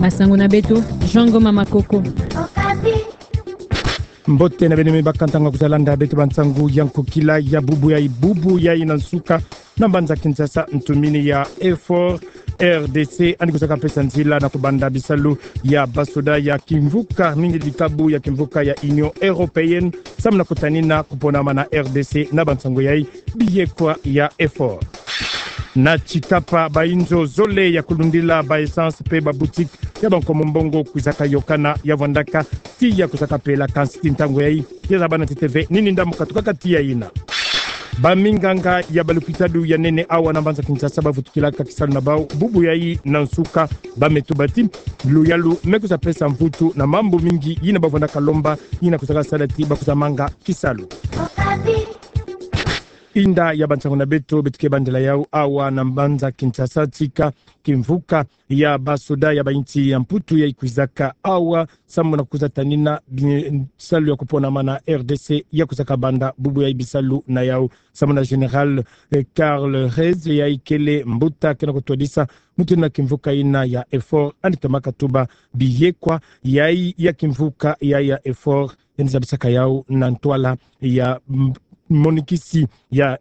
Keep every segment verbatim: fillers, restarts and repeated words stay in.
Masangu na beto, Jean Ngoma Makoko. Mbote na beno me bakantanga kuzolanda beto ba nsangu ya nkokila ya bubu yai, bubu yai na nsuka na mbanza Kinshasa, ntumini ya EFOR, R D C, yandi kuzaka pesa nzila na kubanda bisalu ya basoda ya kimvuka, mingi dikabu ya kimvuka ya Union Européenne, samu na kutanina kuponama na R D C na ba nsangu yai, biyekwa ya EFOR. Na Tshikapa, ba inzo zole ya kulundila ba essence pe ba boutique ya ba nkomo mbongo kwizaka yokana, ya vwandaka tiya kuzaka pela, kansi ti ntangu yai ya zabana ntete ve nini ndambu katukaka tiya yina. Ba minganga ya ba lupitalu ya nene awa na mbanza Kinshasa bavutukilaka kisalu na bau bubu yai na nsuka. Ba me tuba ti luyalu me kwiza pesa mvutu na mambu mingi yina bavwandaka lomba, yina kwizaka sala ti bakwiza manga kisalu. Inda ya ba nsangu na beto, beto ke bandela yau awa na mbanza Kinshasa, tika kimvuka ya basoda ya ba insi ya Mputu yai kwizaka awa samu na kwiza tanina bisalu ya kuponama na R D C ya kwizaka banda bubu yai bisalu na yau, samu na Général, eh, Karl Reyes, yai kele mbuta ke na kutwadisa mutindu na kimvuka yina ya EFOR, yandi tomaka tuba biyekwa yai ya kimvuka yai ya EFOR, yandi zabisaka yau na ntwala ya m-, monikisi ya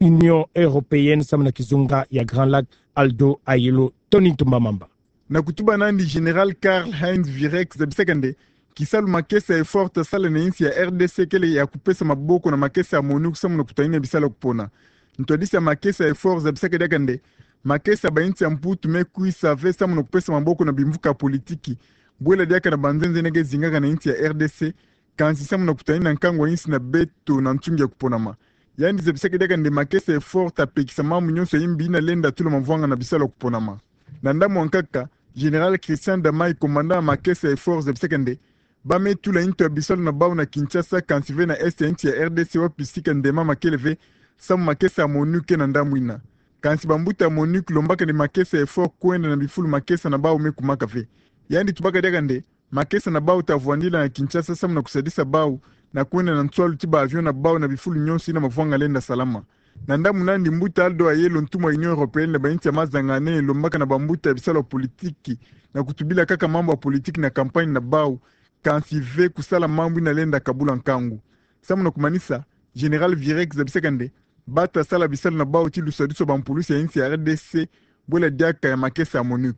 Union Européenne samu na kizunga ya Grand Lac, Aldo Ayelo. Tony Ntumba Mamba. Na kutuba na yandi, Général Karl-Heinz Wirek zabisaka nde kisalu makesa ya EFOR ta sala na insi ya R D C kele ya kupesa maboko na makesa ya MONUC samu na kutanina bisalu ya kupona. Ntwadisi ya makesa ya EFOR zabisaka diaka nde makesa ya ba insi ya Mputu me kwiza ve samu na kupesa maboko na bimvuka ya politiki, bwela diaka na ba nzenze yina ke zingaka na insi ya R D C, kansi samu na kutanina nkangu ya insi na beto na nsungi ya kuponama. Yandi zabisaka diaka nde makesa ya EFOR ta pekisa mambu nyonso ya imbi yina lenda tula mavwanga na bisalu ya kuponama. Na ndambu ya nkaka, Général Christian Damai, commandant ya makesa ya EFOR, zabisaka nde ba me tula nto ya bisalu na bau na Kinshasa, kansi ve na est ya insi ya R D C, wapi sika ndemama kele ve, samu makesa ya MONUC ke na ndambu yina. Kansi bambuta ya MONUC lombaka nde makesa ya EFOR kwenda na bifulu makesa na bau me kumaka ve. Yandi tubaka diaka nde makesa na bau ta vwandila na Kinshasa samu na kusadisa bau na kwenda na nswalu ti ba avion na bau na bifulu nyonso yina mavwanga lenda salama. Na ndambu na yandi, mbuta Aldo Ayelo, ntumwa ya Union Européenne na ba insi ya mazangane, lombaka na bambuta ya bisalu ya politiki na kutubila kaka mambu ya politiki na campagne na bau, kansi ve kusala mambu yina lenda kabula nkangu. Samu na kumanisa, Général Wirek zabisaka nde ba ta sala bisalu na bau ti lusadisu ya bampulusi ya insi ya R D C, bwela diaka ya makesa ya MONUC.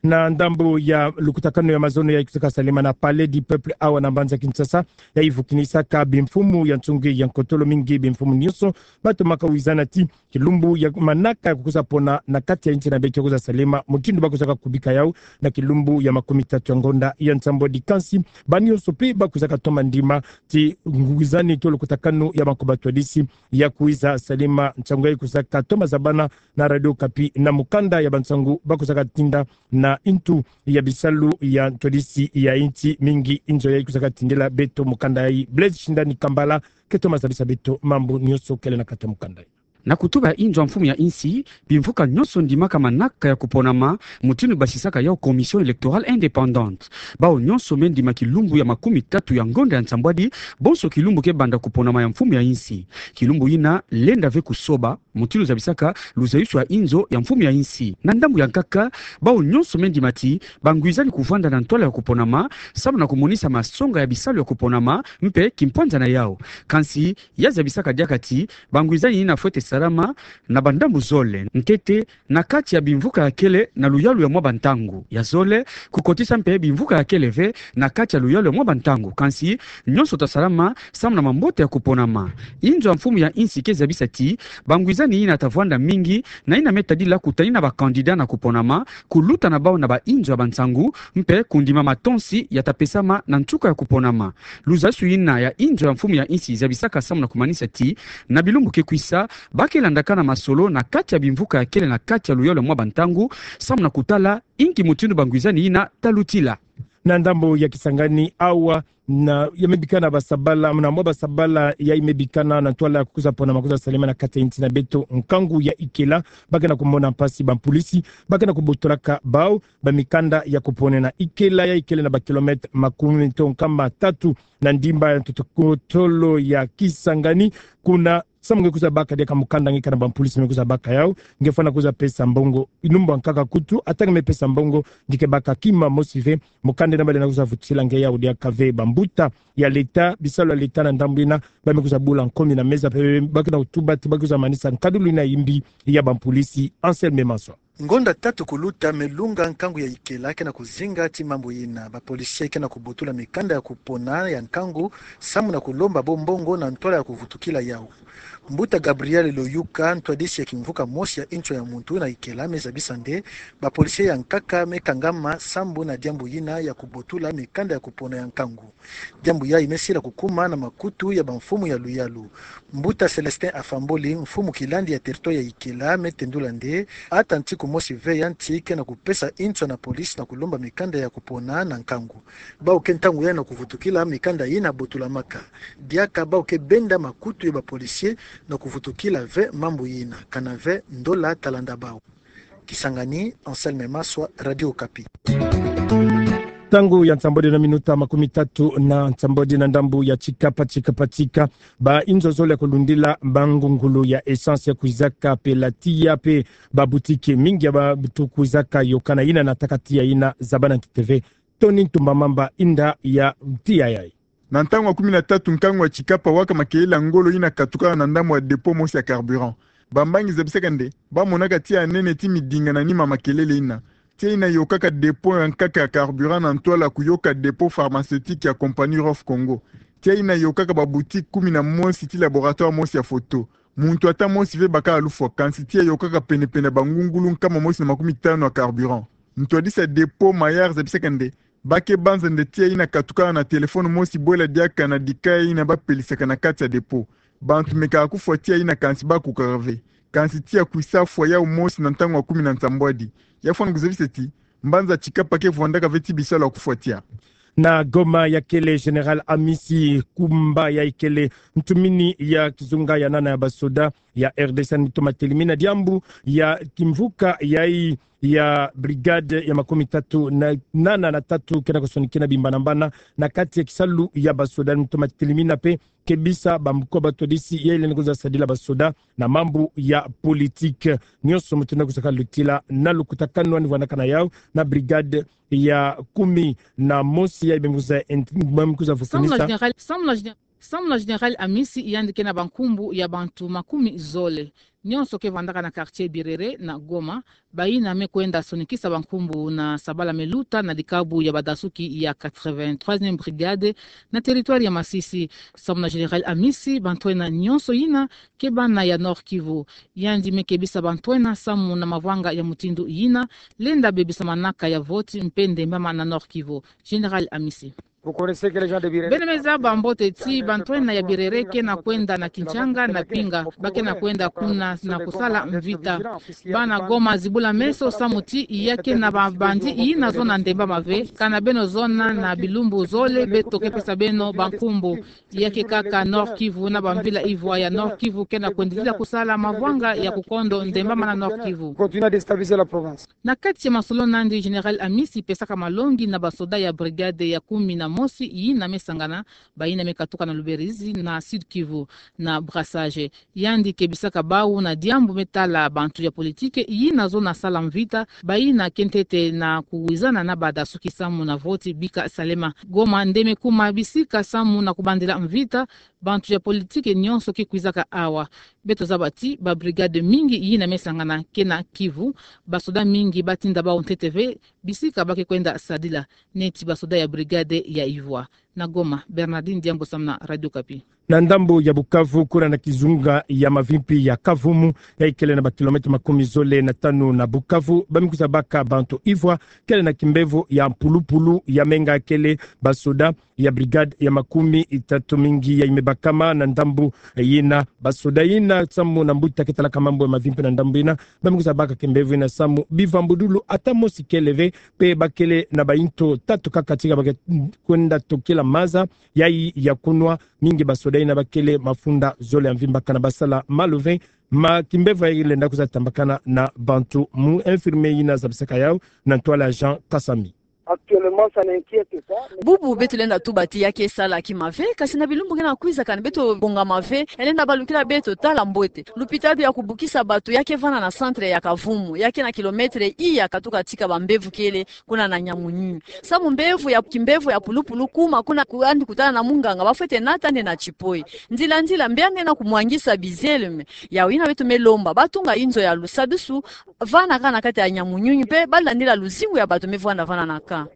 Na ndambu ya lukutakanu ya mazono yai kwizaka salema na Palais du Peuple awa na mbanza Kinshasa, yai vukinisaka bimfumu ya nsungi ya nkotolo, mingi bimfumu nyonso, batomaka wizana ti kilumbu ya manaka ya kukwiza pona na kati ya insi na beto kwiza salema mutindu bakwizaka kubika yau na kilumbu ya makumi tatu ya ngonda ya nsambwadi. Kansi ba nyonso pe bakwizaka toma ndima ti ngwizani to lukutakanu ya bankoba twadisi ya kwiza salema nsangu yai kwizaka toma zabana na Radio Okapi na mukanda ya bansangu bakwizaka tinda na ntu ya bisalu ya ntwadisi ya insi, mingi inzo yai kwizaka tindela beto mukanda yai. Blaise Shindani Kambala ke toma zabisa beto mambu nyonso kele na kati ya mukanda yai. Na kutuba ya inzo ya mfumu ya insi, bimvuka nyonso ndimaka manaka ya kuponama, mutindu basisaka yau Commission électorale indépendante. Bau nyonso me ndima kilumbu ya makumi tatu ya ngonda ya nsambwadi, bonso kilumbu ke banda kuponama ya mfumu ya insi. Kilumbu yina lenda ve kusoba, mutindu zabisaka luzayusu ya inzo ya mfumu ya insi. Na ndambu ya nkaka, bau nyonso me ndima ti bangwizani kuvwanda na ntwala ya kuponama, samu na kumonisa masonga ya bisalu ya kuponama mpe kimpwanza na yau. Kansi ya zabisaka diaka ti bangwizani yina fwete salama na bandambu zole. Ntete, na kati ya bimvuka ya kele na luyalu ya mwa bantangu. Ya zole, kukotisa mpe bimvuka ya kele ve na kati ya luyalu ya mwa bantangu. Kansi nyonso ta salama samu na mambote ya kuponama. Inzo ya mfumu ya insi ke zabisa ti bangwizani yina ta vwanda mingi na yina me tadila kutanina ba candidat na kuponama, kuluta na bau na ba inzo ya bansangu, mpe kundima matonsi ya ta pesama na nsuka ya kuponama. Luzayusu yina ya inzo ya mfumu ya insi zabisaka samu na kumanisa ti na bilumbu ke kwisa, ba ke landakana masolo na kati ya bimvuka ya kele na kati ya luyalu ya mwa bantangu, samu na kutala inki mutindu bangwizani yina ta lutila. Na ndambu ya Kisangani awa, na ya me bikana basabala, na mwa basabala yai me bikana na ntwala ya kukwiza ponama kwiza salema na kati ya insi na beto, nkangu ya Ikela, ba ke na kumona mpasi, bampulisi ba ke na kubotolaka bau ba mikanda ya kuponena. Ikela yai kele na ba kilomètre makumi to nkama tatu na ndimba ya ntoto-, kotolo ya Kisangani, kuna Samu nge kwiza baka diaka mukanda nge kana bampolisi me kwiza baka yau, nge fwana kwiza pesa mbongo. Inumbu ankaka kutu, ata nge me pesa mbongo, nge ke baka kima mosi ve, mukanda ina bale na kwiza vutisila nge yau diaka ve. Bambuta ya leta, bisalu ya leta na ndambu ina, ba me kwiza bula nkomi na meza pe, ba ke na kutuba ti ba kwiza manisa nkadulu ina ya mbi ya bampolisi. Anselme Maswa. Ngonda tatu kuluta me lunga nkangu ya ikela ke na kuzinga ti mambu ina. Bapolisi ke na kubotula mikanda ya kupona ya nkangu, samu na kulomba bo mbongo na ntwala ya kuvutukila yau. Mbuta Gabriel Loyuka, ntwadisi ya kimvuka mosi ya inswa ya muntu na ikela, me zabisa nde bapolisi ya nkaka me kangama sambu na diambu ina ya kubotula mikanda ya kupona ya nkangu. Diambu yayi me sila kukuma na makutu ya bamfumu ya luyalu. Mbuta Celestin Afamboli, mfumu kilandi ya territoire ya ikela, me tendula nde ata ntiku mosi ve ya nti ke na kupesa inswa na polisi na kulomba mikanda ya kupona na nkangu. Bau ke ntangu yayi na kuvutukila mikanda ina botulamaka. Diaka bau ke benda makutu ya bapolisi na kuvutukila ve mambu ina, kana ve ndola talanda bau. Kisangani, Anselme Maswa, Radio Okapi. Ntangu ya nsambwadi na minuta makumi tatu na nsambwadi na ndambu ya Tshikapa, Tshikapa, Tshika. Ba inzo zole ya kulundila mangungulu ya essence ya kwizaka pe la tiya pe ba boutique mingi ya bantu kwizaka yokana ina nataka tiya ina, zaba na ntete ve. Tony Ntumba Mamba, inda ya tiya yayi. Na ntangu ya kumi na tatu nkangu ya Tshikapa, waka makelele ya ngolo ina katukaka na ndambu ya dépôt mosi ya carburant. Bambangi zabisaka nde ba monaka tiya ya nene ti midinga na nima makelele ina. Tiya ina yokaka dépôt ya nkaka ya carburant na ntwala kuyoka dépôt pharmaceutique ya compagnie Rof Congo. Tiya ina yokaka ba boutique kumi na mosi ti laboratoire mosi ya photo. Muntu ata mosi ve bakala lufwa, kansi tiya yokaka penepene ya bangungulu nkama mosi na makumi tanu ya carburant. Ntwadisi ya dépôt Mayar zabisaka nde ba ke banza nde tiya ina katukana na téléphone mosi bwela diaka na dikaya ina ba pelisaka na kati ya dépôt. Bantu me kaka kufwa tiya ina kansi ba kukaka ve. Kansi tiya kwisa fwa yau mosi na ntangu ya kumi na nsambwadi. Ya fwana kuzabisa ti mbanza Tshikapa ke vwandaka ve ti bisalu ya kufwa tiya. Na Goma, ya kele Général Amisi Kumba, yayi kele ntumini ya kizunga ya nana ya basoda ya R D C, yandi me toma telimina diambu ya kimvuka yayi ya brigade ya makumi tatu na nana na tatu ke na kusonikina bimbanambana na kati ya kisalu ya basoda. Yandi me toma telimina pe kebisa bambuko batwadisi yayi lendi kwiza sadila basoda na mambu ya politique. Nionso mu tenda kwiza kalutila na lukutakanu, yandi vwandaka na yau na brigade ya kumi na mosi yayi ba me kwiza ent-, ba me kwiza vukunisa. Samu na Général, samu na Général Samu na Général Amisi, yandi ke na bankumbu ya bantu makumi zole. Nionso ke vwandaka na quartier Birere na Goma, bayina me kwenda sonikisa bankumbu na sabala me luta na dikabu ya badasuki ya quatre-vingt-troisième brigade na territoire ya Masisi. Samu na Général Amisi, bantu ena nionso yina ke bana ya Nord-Kivu. Yandi me kebisa bantu ena samu na mavwanga ya mutindu yina lenda bebisamanaka ya vote mpe ndembama na Nord-Kivu. Général Amisi. Beno me zaba mbote ti bantu ena ya Birere ke na kwenda na Kinshanga na Pinga, ba ke na kwenda kuna na kusala mvita. Bana Goma, zibula meso samu ti ya ke na ba bandit yina zona ndembama ve. Kana beno zona na bilumbu zole, beto ke pesa beno bankumbu. Ya ke kaka Nord-Kivu na bamvila ivwa ya Nord-Kivu ke na kwendidila kusala mavwanga ya kukondo ndembama na Nord-Kivu. Na kati ya masolo nandi, Général Amisi pesaka malongi na basoda ya brigade ya kumi na mosi yina me sangana, bayina me katuka na Luberizi na Sud-Kivu na Brazzaville. Yandi kebisaka bau na diambu me tala bantu ya politique yina zona sala mvita, bayina ke ntete na kuwizana na badasuki samu na vote bika salema. Goma nde me kuma bisika samu na kubandila mvita, bantu ya politique nionso ke kwizaka awa. Beto zaba ti ba brigade mingi yina me sangana ke na Kivu, basoda mingi batinda bau ntete ve bisika ba ke kwenda sadila, neti basoda ya brigade ya ivwa. Na Goma, Bernardine Diambo samu na Radio Okapi. Na ndambu ya Bukavu, kuna na kizunga ya mavimpi ya Kavumu, ya ikele na ba kilomètre makumi zole na tanu na Bukavu, ba me kwiza baka bantu ivwa, kele na kimbevo ya mpulupulu ya menga kele basoda ya brigade ya makumi tatu mingi ya imebakama na ndambu yina. Basoda yina samu na mbuta ke talaka mambu ya mavimpi na ndambu yina, ba me kwiza baka kimbevo yina samu bivambudulu ata mosi kele ve, mpe ba kele na bayinto tatu kaka ti ha ba ke kwenda tokila maza yayi ya kunwa. Mingi basoda yina ba kele mafunda zole ya mvimba kana basala malu ve, ma kimbevo yayi lenda kwiza tambakana na bantu. Mu infirmier yina zabisaka yau na ntwala Jean Kasami. Actuellement, ça n'inquiète pas. Bubu beto lenda tuba ti ya ke sala kima ve, kasi na bilumbu ke na kwiza, kani beto bongama ve, elenda balukila beto tala mbote. Lupitalu ya kubukisa bato ya ke vanda na centre ya Kavumu, ya ke na kilomètre iya katuka tika bambevo kele, kuna na Nyamunyunyu. Samu mbevo ya, kimbevo ya pulupulu kuma, kuna ku-, yandi kutala na munganga, bafwete nata nde na tipoyi. Nzila nzila, mbe yandi na kumwangisa bizele me. Yawu yina beto me lomba, batunga inzo ya lusadusu, vanda kaka na kati ya Nyamunyunyu, mpe balandila luzingu ya bato me vwanda vanda na ka.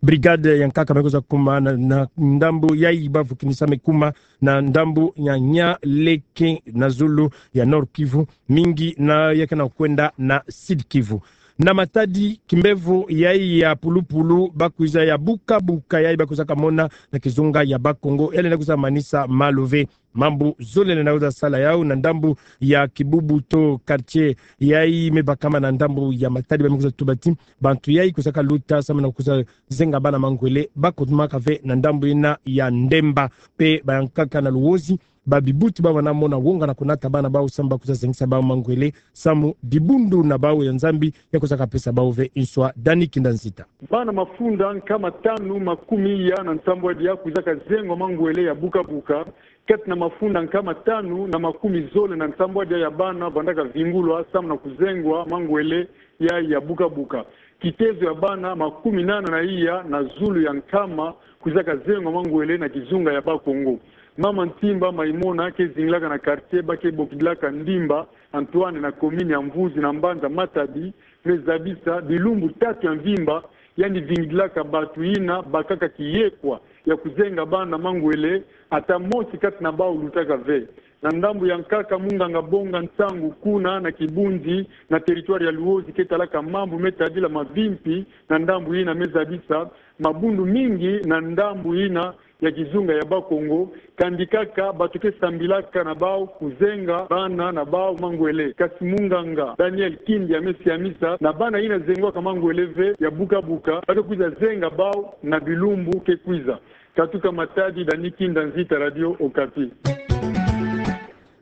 Brigade ya nkaka me kwiza kuma na, na ndambu yayi bavukinisa me kuma na ndambu ya Nyaleke na zulu ya Nord-Kivu, mingi na ya ke na kwenda na Sud-Kivu. Na Matadi, kimbevo yayi ya pulupulu bakwiza ya buka buka yayi bakwizaka mona na kizunga ya Bas-Congo, yalenda kwiza manisa malu ve. Mambu zole lenda kwiza sala yawu na ndambu ya Kibubu to quartier yayi me bakama na ndambu ya Matadi, ba me kwiza tuba ti bantu yayi kwizaka luta samu na kwiza zenga bana mangwele, bakotumaka ve na ndambu yina ya Ndemba. Mpe bayankaka na Luozi, ba bibuti bavanda mona wonga na kunata bana bawu samu bakwiza zengisa bawu mangwele, samu dibundu na bawu ya Nzambi ya kwizaka pesa bawu ve nswa. Dani Kinda Nzita. Bana mafunda nkama tanu makumi iya na nsambwadi ya kwizaka zengwa mangwele ya buka buka, kati na mafunda nkama tanu na makumi zole na nsambwadi ya bana vandaka vingulwa samu na kuzengwa mangwele ya, ya buka buka. Kitezo ya bana makumi nana na iya na zulu ya nkama kwizaka zengwa mangwele na kizunga ya Bas-Congo. Mama Ntimba Maimona ke zingilaka na quartier ba ke bokidilaka Ndimba Antoine na commune ya Mvuzi na mbanza Matadi, me zabisa bilumbu tatu ya mvimba yandi vingidilaka bato yina bakaka kiyekwa ya kuzenga bana mangwele, ata mosi kati na bawu lutaka ve. Na ndambu ya nkaka, munganga bonga nsangu kuna na Kibunzi, na territoire ya Luozi, ke talaka mambu me tadila mavimpi na ndambu yina, me zabisa mabundu mingi na ndambu yina ya kizunga ya Bas-Congo, kandi kaka bato ke sambilaka na bawu kuzenga bana na bawu mangwele. Kasi munganga Daniel Kindia me siamisa na bana yina zengwaka mangwele ve ya buka buka, ba ke kwiza zenga bawu na bilumbu ke kwiza. Katuka Matadi, Dani Kinda Nzita, Radio Okapi.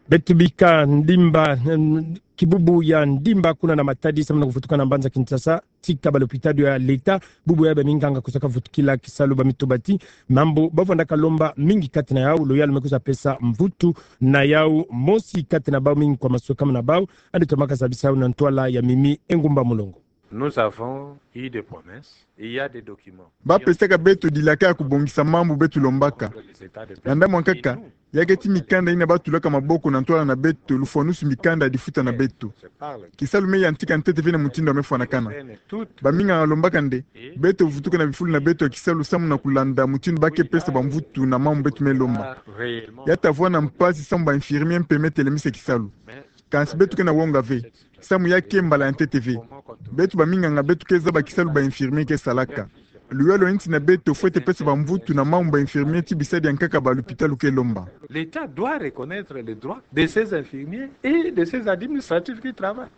Beto bika Ndimba, mm, kibubu ya Ndimba kuna na Matadi, samu na kuvutuka na mbanza Kinshasa, tika ba lopitalo ya leta, bubu ya ba minganga kwizaka vutukila kisalu. Ba me tuba ti mambu ba vandaka lomba, mingi kati na yawu, loyalo me kwiza pesa mvutu na yawu, mosi kati na bawu mingi kwa masweka muna bawu, yandi tomaka zabisa yawu na ntwala ya Mimi Engumba Mulongo. Nous avons eu des promesses, il y a des documents. Ba pesaka beto dilaka ya kubongisa mambu beto lombaka. Na ndambu ya nkaka, ya ke ti mikanda yina ba tulaka maboko na ntwala na beto, lufwanusu mikanda ya difuta na beto. Kisalu me yantika ntete ve na mutindu ya me fwanakana. Ba minganga lombaka nde beto vutuka na bifulu na beto ya kisalu samu na kulanda mutindu ba ke pesa bamvutu na mambu beto me lomba. Ya ta vwanda mpasi samu ba infirmier mpe me telemisa kisalu. Kansi beto ke na wonga ve, samu ya ke mbala ya ntete ve. Beto ba minganga beto ke zaba kisalu ba infirmier ke salaka. Loyalo ya nsi na beto fwete pesa bamvutu na mambu ba infirmier ti bisadi ya nkaka ba lopitalo ke lomba. L'État doit reconnaître le droit de ses infirmiers et de ses administratifs qui travaillent.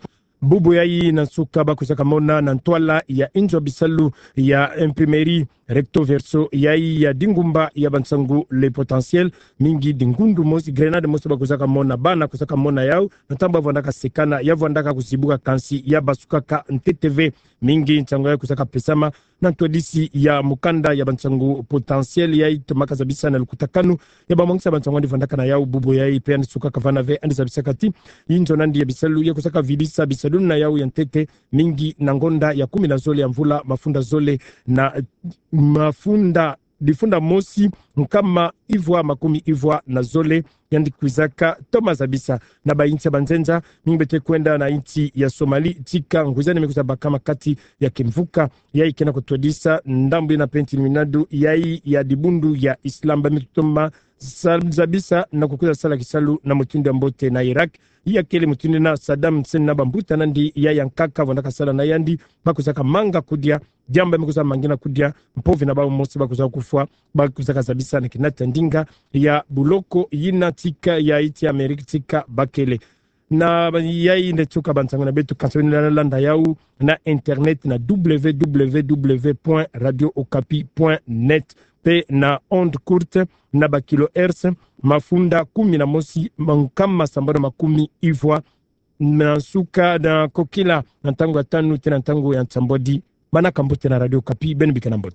Bubu yayi na nsuka ba kwizaka mona na ntwala ya inzo ya bisalu ya imprimerie recto verso yayi ya dingumba ya bansangu Le Potentiel, mingi dingundu mosi, grenade mosi ba kwizaka mona, bana kwizaka mona yawu na ntangu ba vwandaka sekana, ya vwandaka kuzibuka kansi ya basukaka ntete ve. Mingi nsangu yayi kwizaka pesama na ntwadisi ya mukanda ya bansangu Potentiel yayi tomaka zabisa na lukutakanu ya bamwangisa bansangu yandi vwandaka na yawu bubu yayi, mpe yandi sukaka vana ve, yandi zabisaka ti inzo na yandi ya bisalu ya kwizaka vidisa bisalu na yawu ya ntete, mingi na ngonda ya kumi na zole ya mvula mafunda zole na mafunda, difunda mosi nkama ivwa makumi ivwa na zole, yandi kwizaka toma zabisa na bayinsi ya banzenza, mingi beto kwenda na insi ya Somalie, tika ngwizani me kwiza bakama kati ya kimvuka yayi ke na kutwadisa ndambu yina mpe ntini minadu yayi ya dibundu ya Islam. Ba me toma sa-, zabisa na kukwiza sala kisalu na mutindu ya mbote na Irak, ya kele mutindu yina Saddam Hussein na bambuta na yandi ya yankaka vwandaka sala na yandi, ba kwizaka manga kudia, diambu ya me kwiza mangina kudia, mpovi na bawu mosi ba kwiza kufwa, ba kwizaka zabisa na kinata ndinga ya buloko yina tika ya insi ya Amerika tika bakele. Na ba-, yayi nde nsuka bansangu na beto, kansi beno lenda landa yawu na internet na W W W point radio okapi point net, mpe na onde courte na ba kilohertz mafunda kumi na mosi nkama sambanu makumi ivwa na nsuka na kokila, na ntangu ya tanu tii na ntangu ya nsambwadi Mana kambut tena Radio Okapi, beno bika nambut.